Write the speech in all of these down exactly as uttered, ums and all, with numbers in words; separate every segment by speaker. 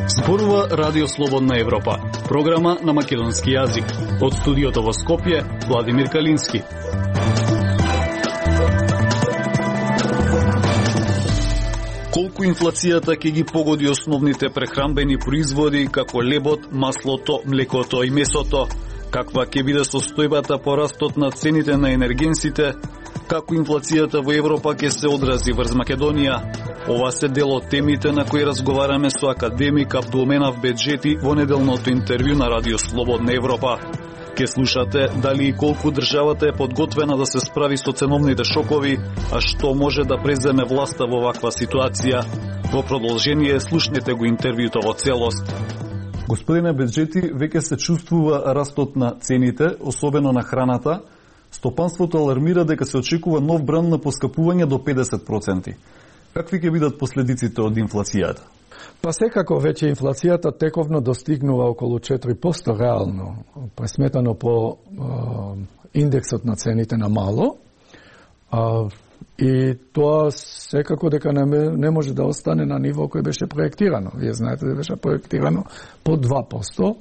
Speaker 1: Зборува Радио Слободна Европа, програма на македонски јазик. Од студиото во Скопје, Владимир Калински. Колку инфлацијата ќе ги погоди основните прехранбени производи како лебот, маслото, млекото и месото? Каква ќе биде состојбата по растот на цените на енергенсите? Како инфлацијата во Европа ќе се одрази врз Македонија? Ова се дел од темите на кои разговараме со академик Абдулменав Беджети во неделното интервју на Радио Слободна Европа. Ке слушате дали и колку државата е подготвена да се справи со ценовните шокови, а што може да преземе власта во ваква ситуација. Во продолжение слушнете го интервјуто во целост.
Speaker 2: Господине Беджети, веќе се чувствува растот на цените, особено на храната. Стопанството алармира дека се очекува нов бран на поскапување до педесет проценти. Какви ќе бидат последиците од инфлацијата?
Speaker 3: Па секако веќе инфлацијата тековно достигнува околу четири проценти реално, пресметано по е, индексот на цените на мало. А, и тоа секако дека не, не може да остане на ниво кој беше проектирано. Вие знаете да беше проектирано по два проценти.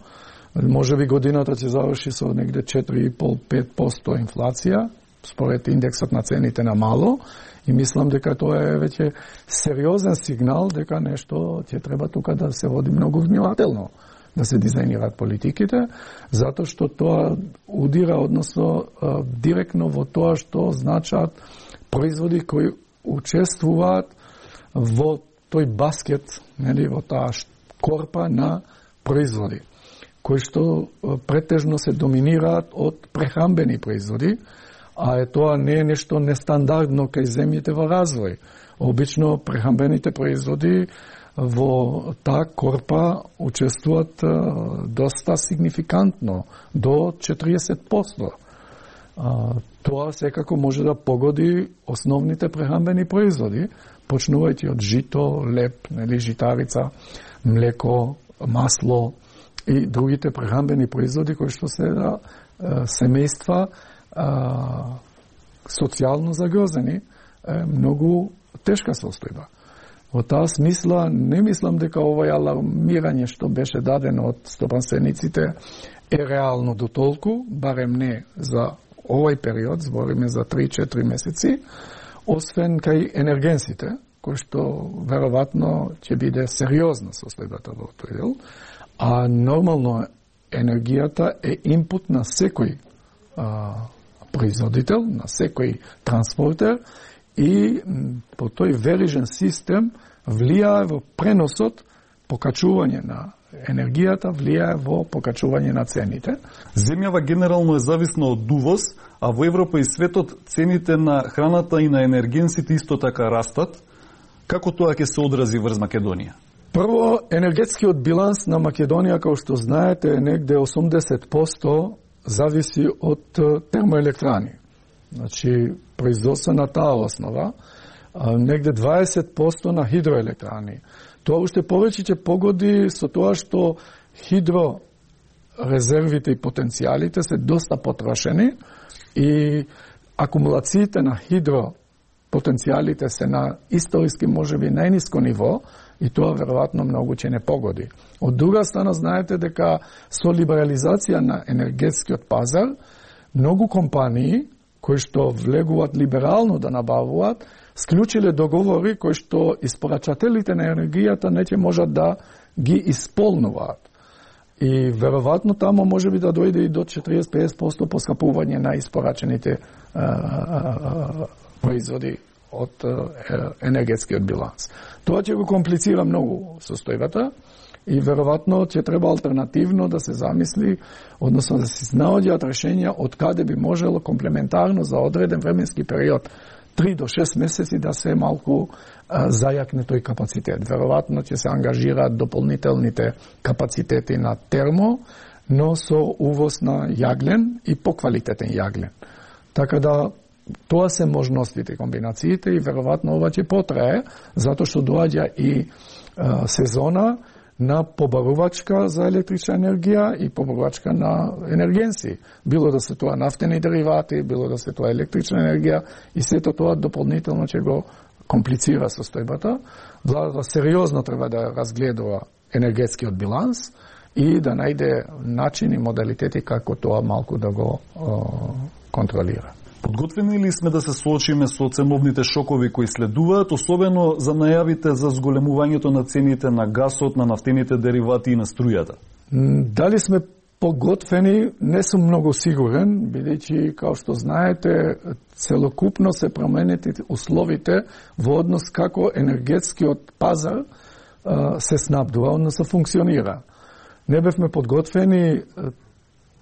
Speaker 3: Може би годината ќе заврши со негде четири и пол до пет проценти инфлација, според индексот на цените на мало. И мислам дека тоа е веќе сериозен сигнал дека нешто ќе треба тука да се води многу внимателно, да се дизајнираат политиките, затоа што тоа удира, односно директно во тоа што значат производи кои учествуваат во тој баскет, нели, во таа корпа на производи, кои што претежно се доминираат од прехранбени производи, а е тоа не е нешто нестандардно кај земјите во развој. Обично прехранбените производи во таа корпа учествуваат доста сигнификантно, до четириесет проценти. Тоа секако може да погоди основните прехранбени производи, почнувајќи од жито, леп, нели, житарица, млеко, масло и другите прехранбени производи кои што се да семејства а, социјално загрозени, е многу тешка состојба. Во таа смисла не мислам дека овој алармирање што беше дадено од стопанствениците е реално до толку, барем не за овој период, збориме за три-четири месеци, освен кај енергенсите, кој што веројатно ќе биде сериозна состојбата во тој дел, а нормално енергијата е инпут на секој а, производител, на секој транспортер и по тој верижен систем влијае во преносот, покачување на енергијата, влијае во покачување на цените.
Speaker 2: Земјава генерално е зависна од увоз, а во Европа и светот цените на храната и на енергенсите исто така растат. Како тоа ќе се одрази врз Македонија?
Speaker 3: Прво, енергетскиот биланс на Македонија, како што знаете, е негде осумдесет проценти зависи од термоелектрани. Значи, производство на таа основа, негде дваесет проценти на хидроелектрани. Тоа уште повеќе ќе погоди со тоа што хидрорезервите и потенцијалите се доста потрошени и акумулациите на хидропотенцијалите се на историски можеби најниско ниво и тоа веројатно многу ќе не погоди. Од друга страна, знаете дека со либерализација на енергетскиот пазар, многу компании кои што влегуваат либерално да набавуваат, склучиле договори кои што испорачателите на енергијата не ќе можат да ги исполнуваат. И веројатно тамо може би да дојде и до четириесет до педесет проценти поскапување на испорачените а, а, производи од енергетскиот биланс. Тоа ќе го комплицира многу состојбата и веројатно ќе треба алтернативно да се замисли, односно да се наоѓаат решенја од каде би можело комплементарно за одреден временски период, три до шест месеци, да се малку а, зајакне тој капацитет. Веројатно ќе се ангажираат дополнителните капацитети на термо, но со увоз на јаглен и поквалитетен јаглен. Така да тоа се можностите, комбинациите и веројатно ова ќе потрае, затоа што доаѓа и а, сезона на побарувачка за електрична енергија и побарувачка на енергенси. Било да се тоа нафтени деривати, било да се тоа електрична енергија и сето тоа дополнително ќе го комплицира состојбата. Владата сериозно треба да разгледува енергетскиот биланс и да најде начини, модалитети како тоа малку да го о, контролира.
Speaker 2: Подготвени ли сме да се соочиме со ценовните шокови кои следуваат, особено за најавите за зголемувањето на цените на гасот, на нафтените деривати и на струјата?
Speaker 3: Дали сме поготвени, не сум многу сигурен, бидејќи, као што знаете, целокупно се променети условите во однос како енергетскиот пазар а, се снабдува, односно функционира. Не бевме подготвени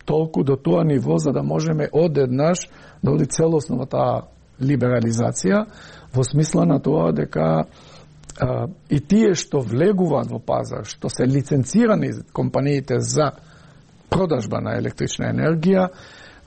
Speaker 3: толку до тоа ниво за да можеме одеднаш да оди целосно во таа либерализација, во смисла на тоа дека а, и тие што влегуваат во пазар, што се лиценцирани компаниите за продажба на електрична енергија,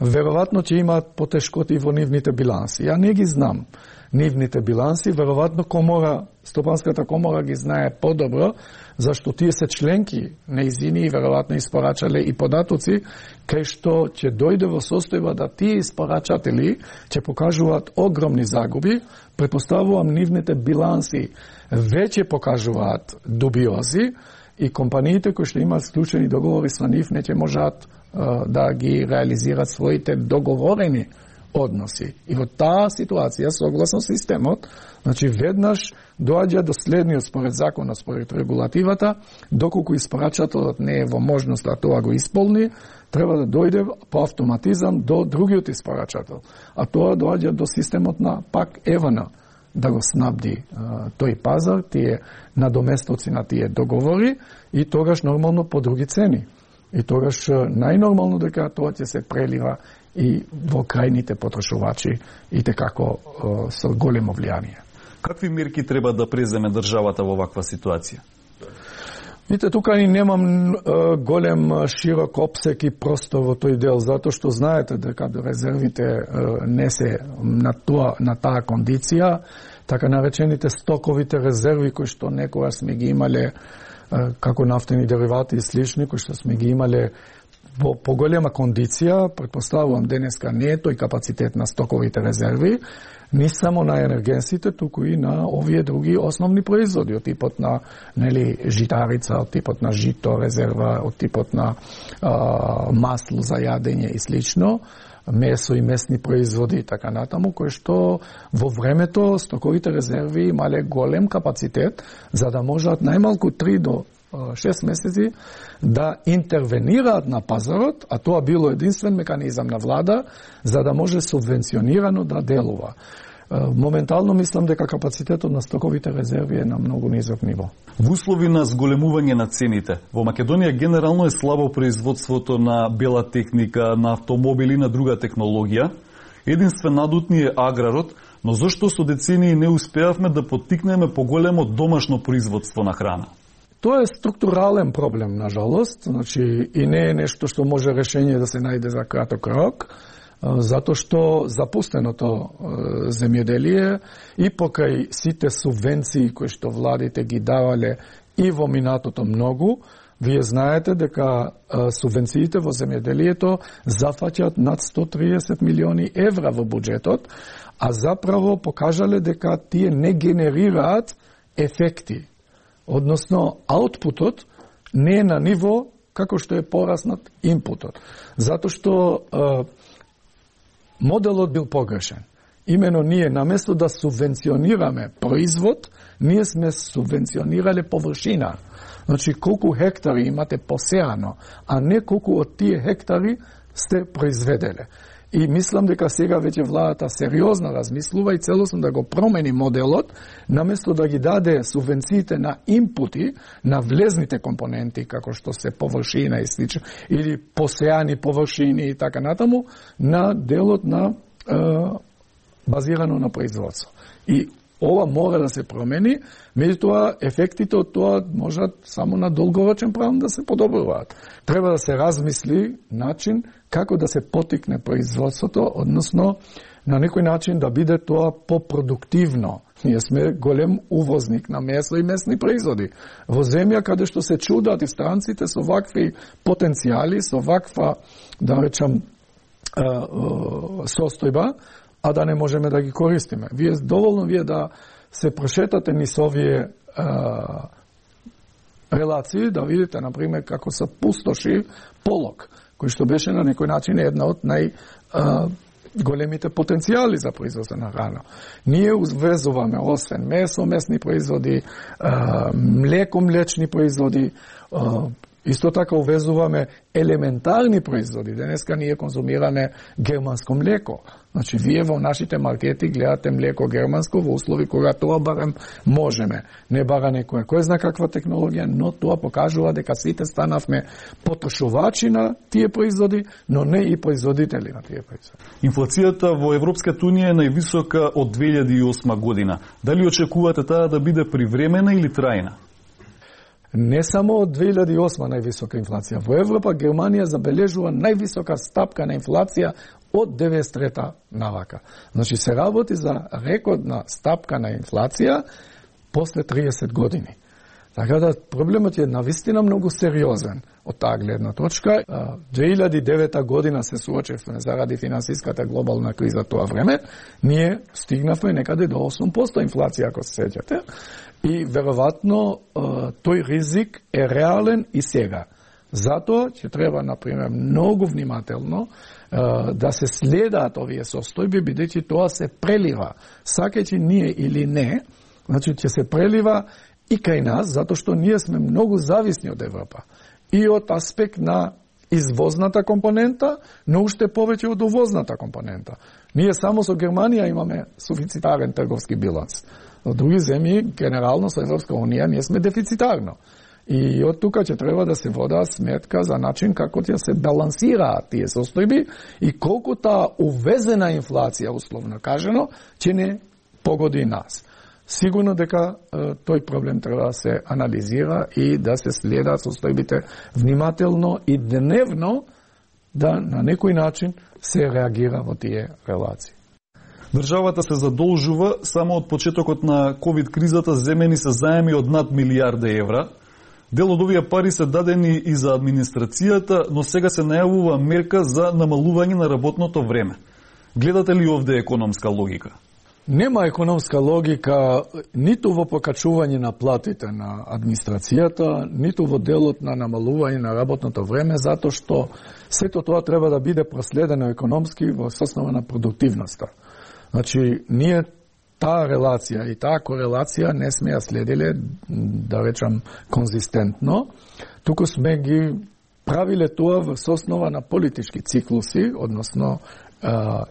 Speaker 3: веројатно ќе имаат потешкоти во нивните биланси. Ја не ги знам нивните биланси, веројатно комора, Стопанската комора ги знае подобро, зашто тие се членки неизини и веројатно испорачале и податоци, кај што ќе дојде во состојба да тие испорачатели ќе покажуваат огромни загуби, претпоставувам нивните биланси веќе покажуваат дубиози и компаниите кои што имаат склучени договори со нив не ќе можат да ги реализираат своите договорени односи. И во таа ситуација, согласно системот, значи веднаш доаѓа до следниот според законот, според регулативата, доколку испорачателот не е во можност да тоа го исполни, треба да дојде по автоматизам до другиот испорачател. А тоа доаѓа до системот на пак ЕВН да го снабди а, тој пазар, тие надоместоци на тие договори и тогаш нормално по други цени. И тогаш најнормално дека тоа ќе се прелива и во крајните потрошувачи и tekako со големо влијание.
Speaker 2: Какви мерки треба да преземе државата во ваква ситуација?
Speaker 3: Видите, тука ни немам е, голем широк опсек и простор во тој дел, затоа што знаете дека резервите е, не се на тоа на таа кондиција, така наречените стоковите резерви кои што некогаш сме ги имале е, како нафтени деривати и слични, кои што сме ги имале во поголема кондиција, претпоставувам денеска не е тој капацитет на стоковите резерви, не само на енергенсите, туку и на овие други основни производи, од типот на нели житарица, од типот на жито резерва, од типот на а, масло за јадење и слично, месо и месни производи и така натаму, кои што во времето стоковите резерви имале голем капацитет за да можат најмалку три до шест месеци да интервенираат на пазарот, а тоа било единствен меканизам на влада за да може субвенционирано да делува. Моментално мислам дека капацитетот на стоковите резерви е на многу низок ниво.
Speaker 2: Во услови на зголемување на цените, во Македонија генерално е слабо производството на бела техника, на автомобили и на друга технологија. Единствен надутни е аграрот, но зашто со децении не успеавме да поттикнеме поголемо домашно производство на храна?
Speaker 3: Тоа е структурален проблем, на жалост, значи и не е нешто што може решение да се најде за краток рок, затоа што запустеното земјоделие и покрај сите субвенции кои што владите ги давале и во минатото многу, вие знаете дека субвенциите во земјоделието зафаќаат над сто триесет милиони евра во буџетот, а заправо покажале дека тие не генерираат ефекти. Односно, аутпутот не е на ниво како што е пораснат инпутот. Затоа што е, моделот бил погрешен. Имено ние, наместо да субвенционираме производ, ние сме субвенционирале површина. Значи, колку хектари имате посеано, а не колку од тие хектари сте произведеле. И мислам дека сега веќе владата сериозно размислува и целосно да го промени моделот, наместо да ги даде субвенциите на инпути, на влезните компоненти, како што се површина и слично, или посеани површини и така натаму, на делот на е, базирано на производство. И ова мора да се промени, меѓутоа ефектите од тоа можат само на долгорочен план да се подобруваат. Треба да се размисли начин како да се потикне производството, односно на некој начин да биде тоа попродуктивно. Ние сме голем увозник на месо и месни производи. Во земја каде што се чудат и странците со вакви потенцијали, со ваква, да речам, состојба, а да не можеме да ги користиме. Вие доволно вие да се прошетате низ овие а, релации, да видите, например, како се пустоши Полог, кој што беше на некој начин една од нај а, големите потенцијали за производство на храна. Ние увезуваме освен месо, месни производи, а, млеко, млечни производи, а, исто така увезуваме елементарни производи. Денеска ние конзумираме германско млеко. Значи, вие во нашите маркети гледате млеко германско во услови кога тоа барем можеме. Не бара некоја кој зна каква технологија, но тоа покажува дека сите станавме потрошувачи на тие производи, но не и производители на тие производи.
Speaker 2: Инфлацијата во Европската унија е највисока од две илјади и осма година. Дали очекувате таа да биде привремена или трајна?
Speaker 3: Не само од две илјади и осма највисока инфлација. Во Европа Германија забележува највисока стапка на инфлација од деветдесет и трета навака. Значи се работи за рекордна стапка на инфлација после триесет години. Така да проблемот е навистина многу сериозен од таа гледна точка. две илјади и девета година се суочевме заради финансиската глобална криза тоа време. Ние стигнавме некаде до осум проценти инфлација, ако се сеќате. И веројатно тој ризик е реален и сега. Затоа ќе треба, например, многу внимателно да се следаат овие состојби, бидејќи тоа се прелива. Сакајќи ние или не, значи ќе се прелива и кај нас, затоа што ние сме многу зависни од Европа. И од аспект на извозната компонента, но уште повеќе од увозната компонента. Ние само со Германија имаме суфицитарен трговски биланс. Во други земји, генерално со Европска унија, ние сме дефицитарно. И од тука ќе треба да се вода сметка за начин како ќе се балансираат тие состојби и колку таа увезена инфлација, условно кажено, ќе не погоди нас. Сигурно дека е, тој проблем треба да се анализира и да се следат состојбите внимателно и дневно да на некој начин се реагира во тие релации.
Speaker 2: Државата се задолжува, само од почетокот на ковид кризата земени се заеми од над милијарда евра. Дел од овие пари се дадени и за администрацијата, но сега се најавува мерка за намалување на работното време. Гледате ли овде економска логика?
Speaker 3: Нема економска логика ниту во покачување на платите на администрацијата, ниту во делот на намалување на работното време, затоа што сето тоа треба да биде проследено економски во соснова на продуктивноста. Значи, ние таа релација и таа корелација не сме ја следиле, да речам, конзистентно, туку сме ги правиле тоа во соснова на политички циклуси, односно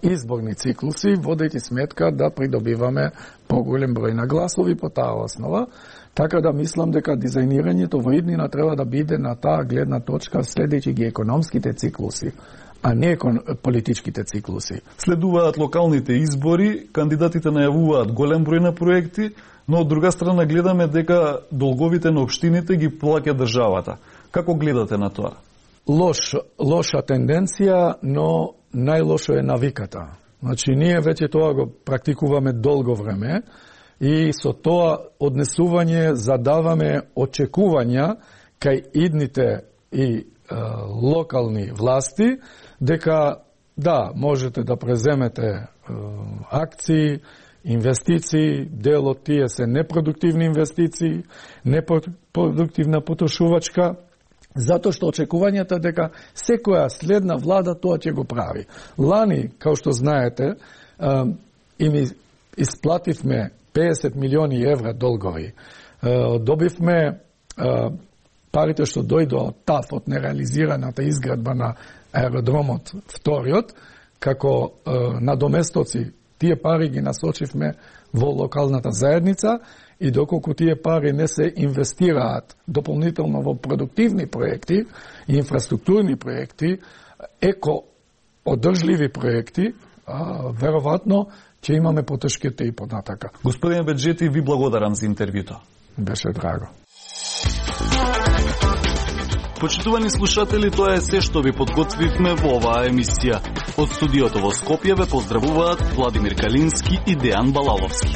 Speaker 3: изборни циклуси, водејќи сметка да придобиваме поголем број на гласови по таа основа, така да мислам дека дизајнирањето во иднина треба да биде на таа гледна точка следејќи ги економските циклуси, а не политичките циклуси.
Speaker 2: Следуваат локалните избори, кандидатите најавуваат голем број на проекти, но од друга страна гледаме дека долговите на општините ги плаќа државата. Како гледате на тоа?
Speaker 3: Лош, лоша тенденција, но најлошо е навиката. Значи, ние веќе тоа го практикуваме долго време и со тоа однесување задаваме очекувања кај идните и е, локални власти, дека да, можете да преземете е, акции, инвестиции, дел од тие се непродуктивни инвестиции, непродуктивна потрошувачка, затоа што очекувањата дека секоја следна влада тоа ќе го прави. Лани, као што знаете, им исплативме педесет милиони евра долгови. Добивме парите што дојдо од ТАФ, од нереализираната изградба на аеродромот вториот, како надоместоци, тие пари ги насочивме во локалната заедница и доколку тие пари не се инвестираат дополнително во продуктивни проекти и инфраструктурни проекти, еко одржливи проекти, веројатно ќе имаме потешките и података.
Speaker 2: Господин Беджети, ви благодарам за интервјуто.
Speaker 3: Беше драго.
Speaker 1: Почитувани слушатели, тоа е се што ви подготвивме во оваа емисија. Од студиото во Скопје ве поздравуваат Владимир Калински и Дејан Балаловски.